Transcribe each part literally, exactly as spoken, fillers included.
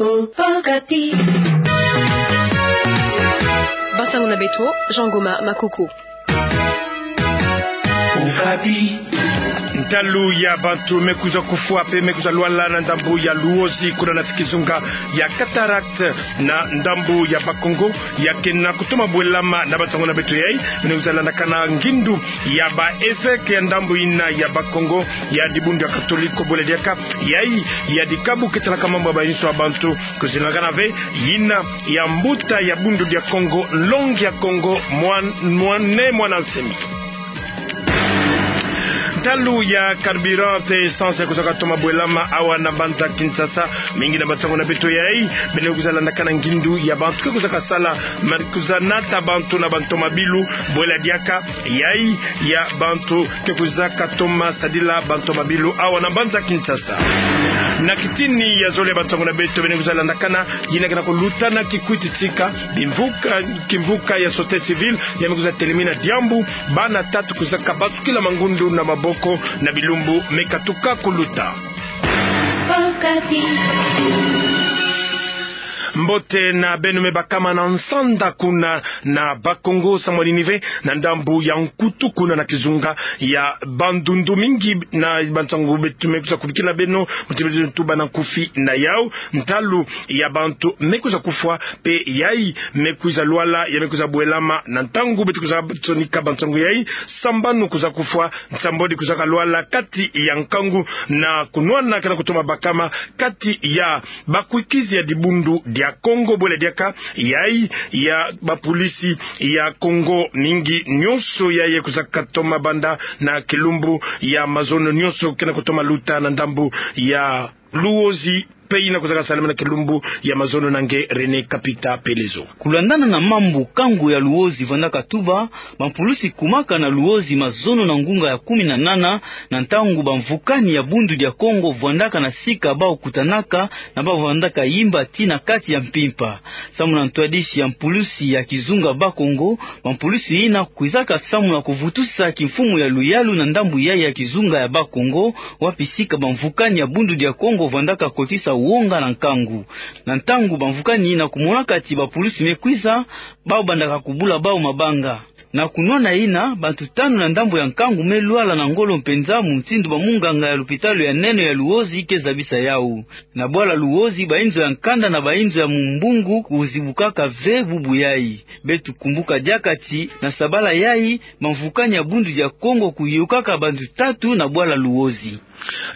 Okapi. Bansango na beto, Jean Goma Makoko. Okapi. Ntalu ya bantu me kwiza kufwa pe me kwiza lwala na ndambu ya Luozi kuna na kizunga ya Cataractes na ndambu ya Bas-Congo, ya kena kutoma bwelama na bansango na beto yai, beno kwiza landakana ngindu ya ba évêque ya ndambu yina ya Bas-Congo, ya dibundu ya Katoliko, bwela diaka yai ya dikabu ketanaka mambu ya bayinso ya bantu, kwiza landakana ve yina ya mbuta ya Bundu dia Kongo, nlongi ya Kongo, Mwan-, Mone Mwana Nsemi. Ntalu ya carburant pe essence ya kwizaka toma bwelama awa na mbanza Kinshasa, mingi na bansango na beto yai, beno kwiza landakana ngindu ya bantu ke kwizaka sala, ma kwiza nata bantu na bantomabilu, bwela diaka yai ya bantu ke kwizaka toma sadila bantomabilu awa na mbanza Kinshasa. Na kitini ya zole ya bansango na beto, beno kwiza landakana yina kena kuluta na kikwiti tika, bimvuka, kimvuka ya société civile ya me kwiza telemina diambu, bana tatu kwizaka batukila mangundu na maboko na bilumbu me katuka kuluta. Mbote na beno me bakama na nsanda kuna na Bas-Congo, samu na nini ve, na ndambu ya Nkutu kuna na kizunga ya Bandundu, mingi na bansango beto me kwiza kubikila beno, muti beto tuba na nkufi na yau. Ntalu ya bantu me kwiza kufwa pe yai me kwiza lwala ya me kwiza bwelama na ntangu beto kwiza sonika bansango yai, sambanu kwiza kufwa, nsambwadi kwizaka lwala kati ya nkangu na kunwana kena kutoma bakama kati ya bakwikizi ya dibundu dia Kongo, bwela diaka yai ya bapolisi ya Kongo, mingi nyonso yai kwizaka toma banda na kilumbu ya mazono nyonso kena kutoma luta na ndambu ya Luozi, pe yina kwizaka salama na kilumbu ya mazono na nge René Kapita Pelezo. Kulandana na mambu nkangu ya Luozi vwandaka tuba, bampulusi kumaka na Luozi mazono na ngunga ya kumi na nana, na ntangu bamvukani ya Bundu dia Kongo vwandaka na sika bau kutanaka, na bau vwandaka yimba tii na kati ya mpimpa. Samu na ntwadisi ya mpulusi ya kizunga Bas-Congo, bampulusi yina kwizaka samu na kuvutusa kimfumu ya luyalu na ndambu yai ya kizunga ya Bas-Congo, wapi sika bamvukani ya Bundu dia Kongo vwandaka kotisa wonga na nkangu. Na ntangu bamvukani yina kumonaka ti bapulusi me kwiza, bau bandaka kubula bau mabanga. Na kunwana yina, bantu tanu na ndambu ya nkangu me lwala na ngolo mpenza, mutindu bamunganga ya lupitalu ya nene ya Luozi ke zabisa yau. Na bwala Luozi, bayinzo ya nkanda na bayinzo ya mumbungu kuzibukaka ve bubu yai. Beto kumbuka diaka ti, na sabala yai, bamvukani ya Bundu dia Kongo kuyokaka bantu tatu na bwala Luozi.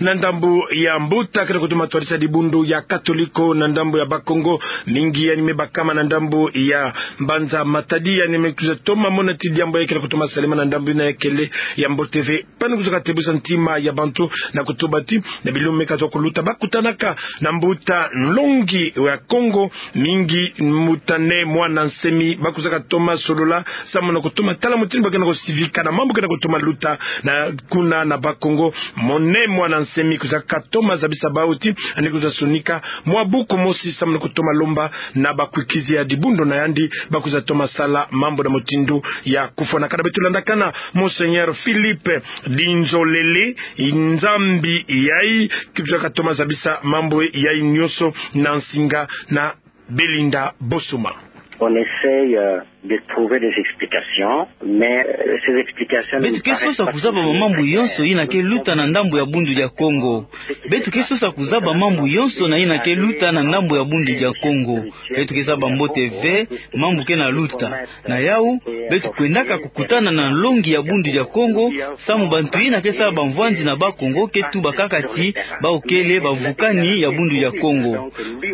Na ndambu ya mbuta kena kutoma twadisa dibundu ya Katoliko na ndambu ya Bas-Congo, mingi yandi me bakama na ndambu ya mbanza Matadi, yandi me kwiza toma mona ti diambu yai kena kutoma salema na ndambu yina ya kele ya mbote ve. Pana kwizaka tebusa ntima ya bantu na kutuba ti, na bilumbu me kazwa kuluta, bakutanaka na mbuta nlongi ya Kongo, mingi mbuta Ne Mwana Nsemi, bakwizaka toma solola samu na kutoma tala mutindu ba kena kusivika na mambu kena kutoma luta na kuna na Bas-Congo. Mone Mwana Nsemi kwizaka toma zabisa bau ti, yandi kwiza sonika mwa buku mosi samu na kutoma lomba na bakwikizi ya dibundu na yandi, bakwiza toma sala mambu na mutindu ya kufwanakana. Beto landakana Monseigneur Philippe Dinzolele, nzambi yai, kwizaka toma zabisa mambu yai nyonso na nsinga na Belinda Bosoma. On essaye, euh, de trouver des explications, mais, euh, ces explications ne nous paraissent pas toujours très claires. Beto ke sosa kuzaba bamambu yonso yina ke luta na ndambu ya Bundu dia Kongo. Beto ke sosa kuzaba mambu yonso na yina ke luta na ndambu ya Bundu dia Kongo. Beto ke zaba mbote ve mambu ke na luta. Na yau, beto kwendaka kukutana na nlongi ya Bundu dia Kongo, samu bantu yina ke sala bamvwanzi na Bas-Congo ke tuba kaka ti bau kele bamvukani ya Bundu dia Kongo.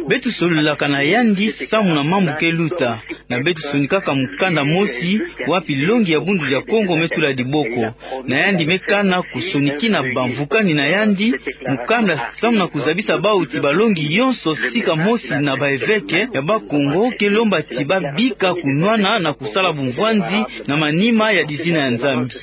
Beto sololaka na yandi samu na mambu ke luta. Na beto sonikaka mukanda mosi, wapi nlongi ya Bundu dia Kongo me tula diboko. Na yandi me kana kusonikina bamvukani na yandi mukanda samu na kuzabisa bau ti balongi yonso sika mosi na baeveke ya Bas-Congo ke lomba ti babika kunwana na kusala bumvwanzi na manima ya dizina ya Nzambi.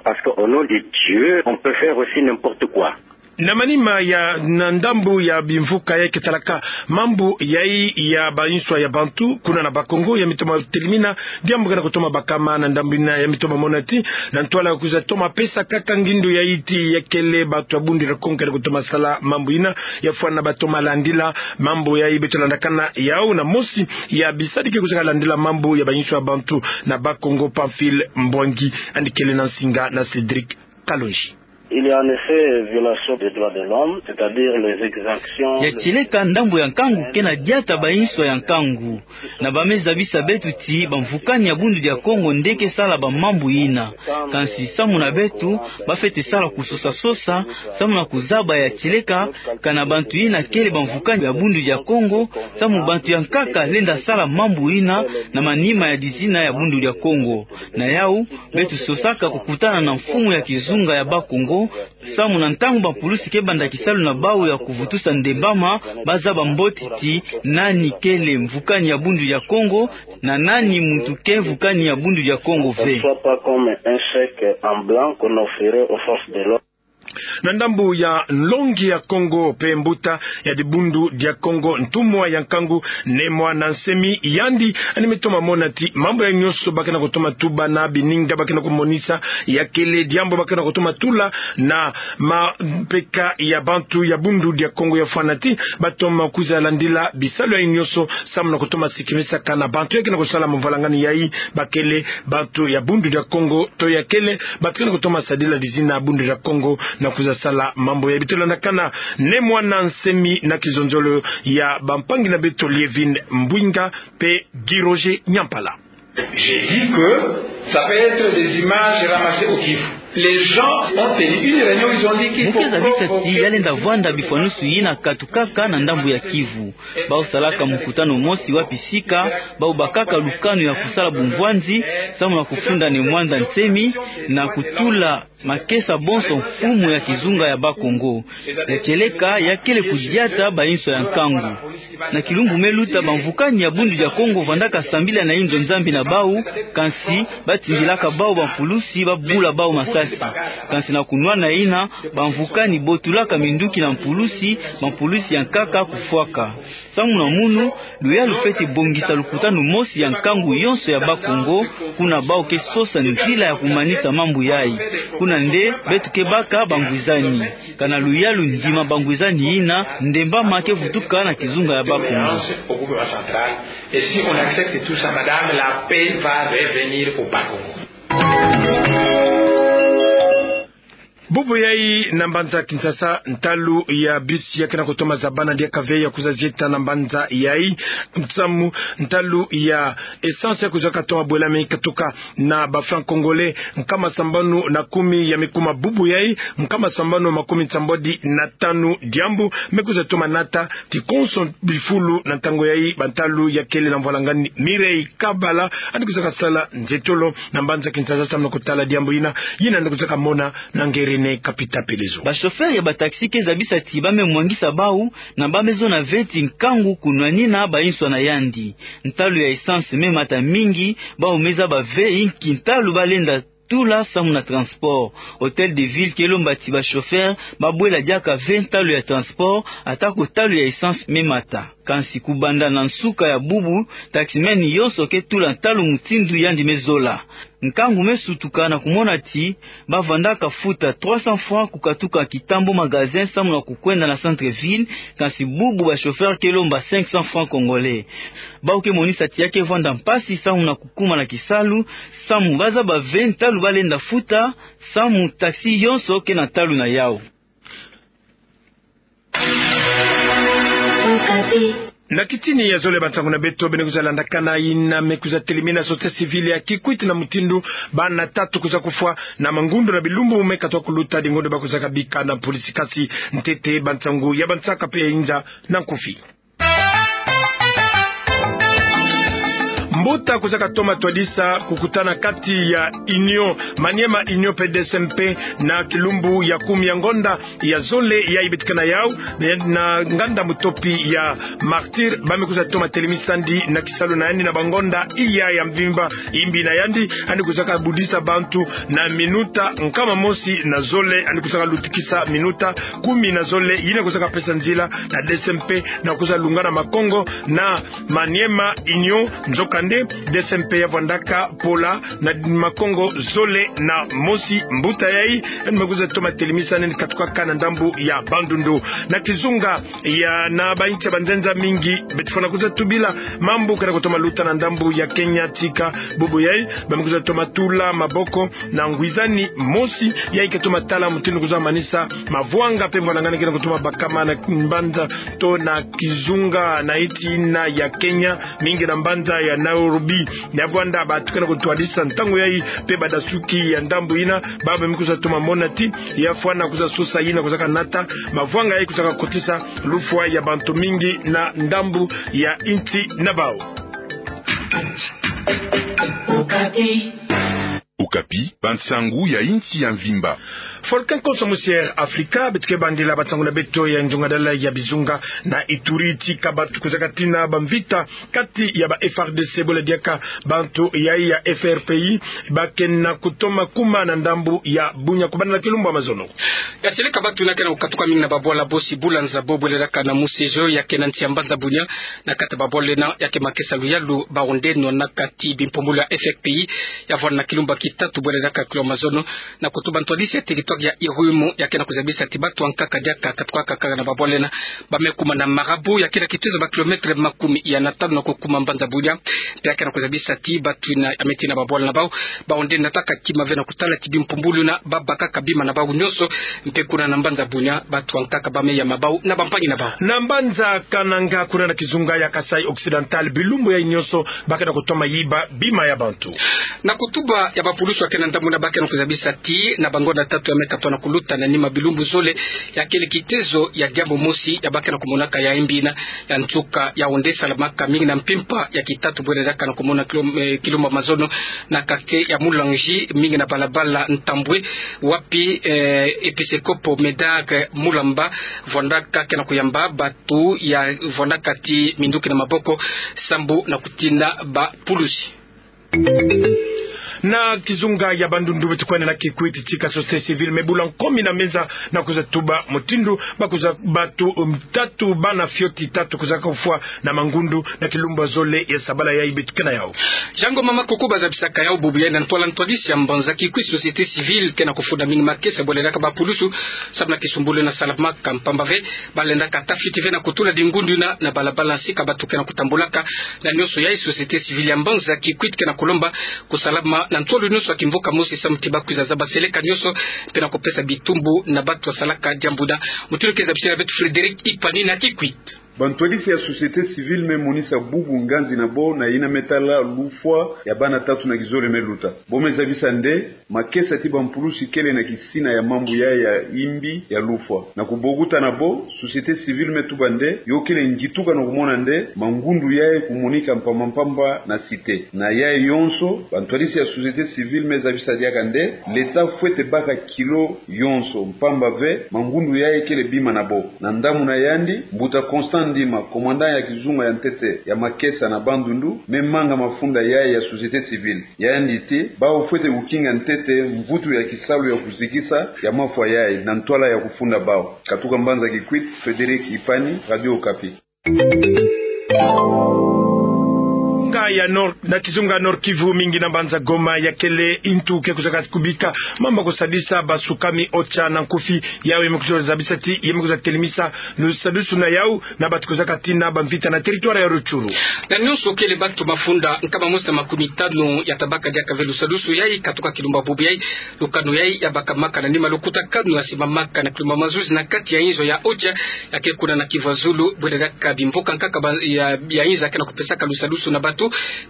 Parce qu'au nom de Dieu, on peut faire aussi n'importe quoi. Na manima ya, na ndambu ya bimvuka ya ke talaka mambu yayi ya banswa ya bantu kuna na Bas-Congo, ya mitoma telimina diambu kena kutoma bakama na ndambu ina, ya mitoma mona ti na ntwala ya kwiza toma pesa kaka ngindu yayi ti ya kele bantu ya Bundu dia Kongo kena kutoma sala mambu ina, ya fwana batoma landila mambu yayi. Beto landakana yau na mosi ya bisadiki kwiza landila mambu ya banswa ya bantu na Bas-Congo, Pamphile Mbouangi, yandi kele na nsinga na Cédric Kalonji. Il y a en effet violation des droits de l'homme, c'est-à-dire les exactions. Ya tieleka ndambu ya nkangu kena diata banswa ya nkangu. Na ba me zabisa beto ti bamvukani ya Bundu dia Kongo nde ke sala bamambu ina. Kansi samu na beto, ba fwete sala kusosa-sosa samu na kuzaba ya tieleka, kana bantu ina kele bamvukani ya Bundu dia Kongo, samu bantu ya nkaka lenda sala mambu ina na manima ya dizina ya Bundu dia Kongo. Na yau, beto sosaka kukutana na mfumu ya kizunga ya Bas-Congo, samu na ntangu bampulusi ke banda kisalu na bau ya kuvutusa ndembama, ba zaba mbote ti nani kele mvukani ya Bundu dia Kongo, na nani muntu ke mvukani ya Bundu dia Kongo ve. Soit pas comme un chèque en blanc qu'on offrirait aux forces de l'ordre. Na ndambu ya nlongi ya Kongo pe mbuta ya dibundu dia Kongo, ntumwa ya nkangu Ne Muanda Nsemi, yandi yandi mitoma mona ti mambu ya nyonso ba kena kutoma tuba na bininga ba kena kumonisa ya kele diambu ba kena kutoma tula na mampeka ya bantu ya Bundu dia Kongo, ya fwana ti batoma kwiza landila bisalu ya nyonso samu na kutoma sikimisaka na bantu ya kena kusala mvwalangani yayi ba kele bantu ya Bundu dia Kongo, to ya kele bantu kena kutoma sadila dizina Bundu dia Kongo na kwiza sala mambu yayi. Beto landakana Ne Muanda Nsemi na kizonzolo ya bampangi na beto Lievine Mbwinga pe Guy Roger Nyampala. J'ai dit que ça peut être des images ramassées au Kivu. Les gens ont tenu une réunion, ils ont dit qu'il faut... Mu ke zabisa ti ya lenda vwanda bifwanusu yina katukaka na ndambu ya Kivu. Bau salaka mukutano mosi wapi sika bau bakaka lukanu ya kusala bumvwanzi samu na kufunda Ne Muanda Nsemi na kutula makesa bonso mfumu ya kizunga ya Bas-Congo. Ya tieleka ya kele kudiata banswa ya nkangu. Na kilumbu me luta, bamvukani ya Bundu dia Kongo vandaka sambila na inzo Nzambi na bau, kansi ba tindilaka bau bampulusi ba bula bau masasi. Kansi na kunwana yina, bamvukani botulaka minduki na mpulusi, bampulusi ya nkaka kufwaka. Samu na munu, luyalu fwete bongisa lukutanu mosi ya nkangu yonso ya Bas-Congo, kuna bau ke sosa nzila ya kumanisa mambu yayi. Kuna nde beto ke baka bangwizani. Kana luyalu ndima bangwizani yina, ndembama ke vutuka na kizunga ya Bas-Congo. Au gouvernement central. Et si on accepte tout ça, madame, la paix va revenir au Bas-Congo. Bubu yayi na mbanza Kinshasa, ntalu ya bus ya kena kutoma zabana diaka ve ya kwiza zieta na mbanza yayi. Samu ntalu ya essence ya kwiza katoma bwela me katuka na ba francs congolais nkama sambanu na kumi ya mikuma bubu yayi, nkama sambanu makumi nsambwadi na tanu. Diambu me kwiza toma nata ti konso bifulu na ntangu yayi, bantalu ya kele na mvwalangani Mireille Kabala, yandi kwiza kasala nzietolo na mbanza Kinshasa samu na kutala diambu yina, yina yandi kwiza kamona na ngeri ne Kapita Pelezo. Ba chauffeur ya ba taxi ke zabisa ti ba me mwangisa bau, na ba me zona ve ti nkangu kunwanina banswa na yandi. Ntalu ya essence me mata mingi, bau me zaba ve inki ntalu ba lenda tula samu na transport. Hôtel de Ville ke lomba ti ba chauffeur ba bwela diaka ve ntalu ya transport, atako ntalu ya essence me mata. Kansi kubanda na nsuka ya bubu, taximan yonso ke tula ntalu mutindu yandi me zola. Nkangu me sutuka na kumona ti ba vandaka futa trois cents francs kukatuka Kitambo magasin samu na kukwenda na centre-ville, kansi bubu ba chauffeur ke lomba cinq cents francs congolais. Bau ke monisa ti ya ke vwanda mpasi samu na kukuma na kisalu, samu ba zaba ve ntalu ba lenda futa, samu taxi yonso ke na ntalu na yau. Na kitini ya zole bansangu na beto beno kwiza landakana, yina me kwiza telimina société civile ya Kikwit na mutindu bana tatu kwiza kufwa na mangundu na bilumbu me katuka kuluta, dingundu ba kwiza kabika na mpulisi, kansi ntete bansangu ya bansaka pe ya inza na nkufi. Mbuta kwizaka toma twadisa kukutana kati ya Union, Maniema Union pe D S M P, na kilumbu ya kumi ya ngonda ya zole yayi beto ke na yau, na, na nganda mutopi ya Martyrs, ba me kwiza toma telemisa ndi na kisalu na yandi na bangonda iya ya mvimba. Imbi na yandi, yandi kwizaka budisa bantu na minuta nkama mosi na zole, yandi kwizaka lutikisa minuta kumi na zole, yina kwizaka pesa nzila na D S M P na kwiza lungana makongo na Maniema Union. Nzokande, D S M P ya vwandaka pola na makongo zole na mosi mbuta yayi, yandi me kwiza toma telemisa nene katuka kaka na ndambu ya Bandundu. Na kizunga ya na bainsi ya banzenza mingi, beto fwana kwiza tubila mambu ke na kutoma luta na ndambu ya Kenya, tika bubu yayi ba me kwiza toma tula maboko na ngwizani mosi yayi ke toma tala mutindu kwiza manisa mavwanga pe mvwalangani ke na kutoma bakama na mbanza to na kizunga na insi yina ya Kenya, mingi na mbanza ya Nairobi. Na vwanda bantu ke na kutwadisa ntangu yayi pe badasuki ya ndambu yina, ba me kwiza toma mona ti ya fwana kwiza sosa yina kwizaka nata mavwanga yayi kwizaka kotisa lufwa ya bantu mingi na ndambu ya insi na bau. Okapi, bansangu ya insi ya mvimba. Volcan Conso Musière Africa, beto ke bandila bansangu na beto ya nzungadala ya bizunga na Ituri, tika bantu kwizaka tina bamvita kati ya ba F A R D C bole diaka bantu yayi ya F R P I, ba ke na kutoma kuma na ndambu ya Bunia kubanda na kilumbu ya mazono. Ya seleka bantu yina ke na kukatuka mingi na babwala bosi bula nzabo bole diaka na Musejo ya ke na nsi ya mbanza Bunia. Na kati ya babwala yina ya ke makesa luyalu Baronde, nwanaka ti bimpumbulu ya F R P I ya vwanda na kilumbu ya kitatu bole diaka kilumbu ya mazono, na kutuba ntwadisi ya territoire ya Irumu ya ke na kuzabisa ti bantu ya nkaka diaka katukaka kaka na babwala yina. Ba me kuma na Marabout ya ke na kitezo ba kilomètre makumi ya na tanu na kukuma mbanza Bunia. Pe ya ke na kuzabisa ti bantu yina ya me tina babwala na bau, bau nde nataka kima ve na kutala ti bimpumbulu yina ba bakaka bima na bau nyonso. Mpe kuna na mbanza Bunia, bantu ya nkaka ba me ya mabau na bampangi na bau. Na mbanza Kananga, kuna na kizunga ya Kasaï Occidental, bilumbu yayi nyonso ba ke na kutoma yiba bima ya bantu. Na kutuba ya bapulusu ya ke na ndambu yina, ba ke na kuzabisa ti na bangonda tatu ya me katwa na kuluta na nima bilumbu zole, ya kele kitezo ya diambu mosi ya ba ke na kumonaka ya imbi yina ya nsuka, ya onde salamaka mingi na mpimpa ya kitatu bole diaka na kumona kilom-, eh, kilumbu ya mazono, na quartier ya Mulangi, mingi na balabala Ntambwe, wapi, eh, episkopo Médard Mulamba vwandaka ke na kuyamba bantu ya vwandaka ti minduki na maboko sambu na kutina bapulusi. Na kizunga ya Bandundu, beto kwenda na Kikwit, tika société civile me bula nkomi na meza na kwiza tuba mutindu ba kwiza, bantu, um, tatu, bana fioti tatu kwizaka kufwa na mangundu na kilumbu ya zole ya sabala yayi beto ke na yau. Jango mama kuku, ba zabisaka yau bubu yayi na ntwala ntwadisi ya mbanza Kikwit, société civile ke na kufunda mingi makesa bole diaka bapulusu sambu na kisumbulu yina salamaka, mpamba ve ba lendaka ta fioti ve na kutula dingundu yina na balabala, nsi ka bantu ke na kutambulaka. Na nyonso yayi, société civile ya mbanza Kikwit ke na kulomba kusalama na ntwala nyonso ya kimvuka mosi sambu ti ba kwiza zaba seleka nyonso mpe na kupesa bitumbu na bantu ya salaka diambu yina. Mutindu ke zabisila beto Frédéric Ipani na Kikwit. Bantwadisi ya société civile me monisa bubu nganzi na bo na yina me tala lufwa ya bana tatu na kizole me luta. Bo me zabisa nde makesa ti bampulusi kele na kisina ya mambu yayi ya imbi ya lufwa. Na kubokuta na bo, société civile me tuba nde yo kele ngituka na kumona nde mangundu yayi kumonika mpamba mpamba na cité. Na yayi yonso, bantwadisi ya société civile me zabisa diaka nde l'État fwete baka kilo yonso, mpamba ve mangundu yayi kele bima na bo. Na ndambu na yandi, mbuta Constant Ndima, commandant ya kizunga ya ntete ya makesa na Bandundu, me manga mafunda yayi ya société civile. Yandi ti, bawu fwete kukinga ntete mvutu ya kisalu ya kuzikisa ya mafwa yayi na ntwala ya kufunda bawu. Katuka mbanza Kikwit, Frédéric Ipani, Radio Okapi. Nga ya Nord, na kizunga Nord-Kivu, mingi na mbanza Goma, ya kele ntu ke kwizaka kubika mambu ya kusadisa basukami OCHA na nkufi. Yau ya me kwiza zabisa ti ya me kwiza telemisa lusadusu na yau na bantu kwizaka tina bamvita na territoire ya Rutshuru. Na nyonso kele bantu mafunda nkama mosi na makumi tanu ya tabaka diaka ve lusadusu yayi, katuka kilumbu ya bubu yayi. Lukanu yayi ya bakamaka na nima lukutakanu ya simamaka na kilumbu ya mazuzi na kati ya inzo ya OCHA ya ke kuna na Kivu ya Zulu, bwele diaka bimboka nkaka ba-, ya, ya inzo ya ke na kupesaka lusadusu na bantu.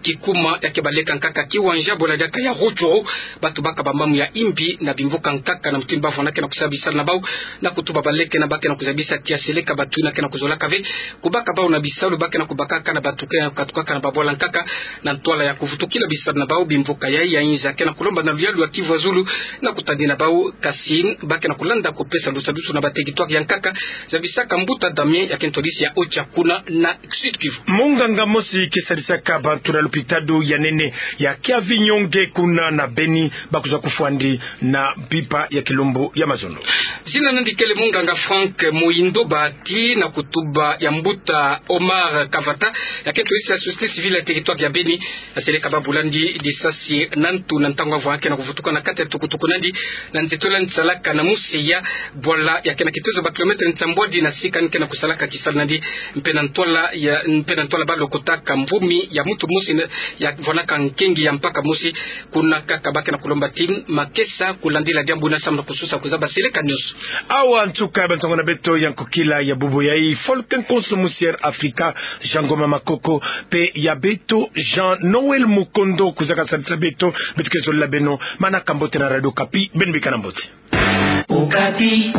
Kikuma ya ke baleka nkaka kiwanja bola diaka ya Rutshuru, bato baka bambamu ya imbi na bimvuka nkaka na mutindu bavwanda ke na kusala bisalu na bau, na kutuba baleke na ba ke na kuzabisa tia seleka bato ina ke na kuzolaka ve kubaka bau na bisalu, ba ke na kubakaka na bato ke na katukaka na babwala nkaka. Na ntwala ya kuvutukila bisalu na bau, bimvuka yayi ya inza ke na kulomba na luyalu ya Kivu ya Zulu na kutadina bau, kasi ba ke na kulanda kupesa lusadusu na bateritware ya nkaka, zabisaka mbuta Damien ya ke ntwadisi ya OCHA kuna na Sud-Kivu. Munganga mosi ke sadisaka bantu na lopitalo ya nene ya Kiavinyonge kuna na Beni, bakwiza kufwa ndi na mpimpa ya kilumbu ya mazono. Zina na yandi kele munganga Franck Muhindo, bahati na kutuba ya mbuta Omar Kavata, ya ke ntwadisi ya société civile ya territoire ya Beni, ya seleka babula ndi lisasi na ntu na ntangu avwanda ke na kuvutuka na kati ya tukutuku na yandi, na nzitola yandi salaka na Museya, bwala ya ke na kitezo ba kilomètre nsambwadi na sika yandi ke na kusalaka kisalu na yandi, mpe na ntwala ya, mpe na ntwala balokotaka mvumi ya muntu mosi na, ya vwanaka nkengi ya mpaka mosi, kuna nkaka ba ke na kulomba ti makesa kulandila diambu ina samu na kususa kuzaba seleka nionso. Awa nsuka ya bansango na beto ya nkokila ya bubu yayi. Folk Nkonso Musière Africa, Jean Ngoma Makoko, mpe ya beto Jean Noël Mukondo kwiza kasadisa beto. Beto ke zolila beno manaka mbote na Radio Okapi, beno bikana mbote. Okapi.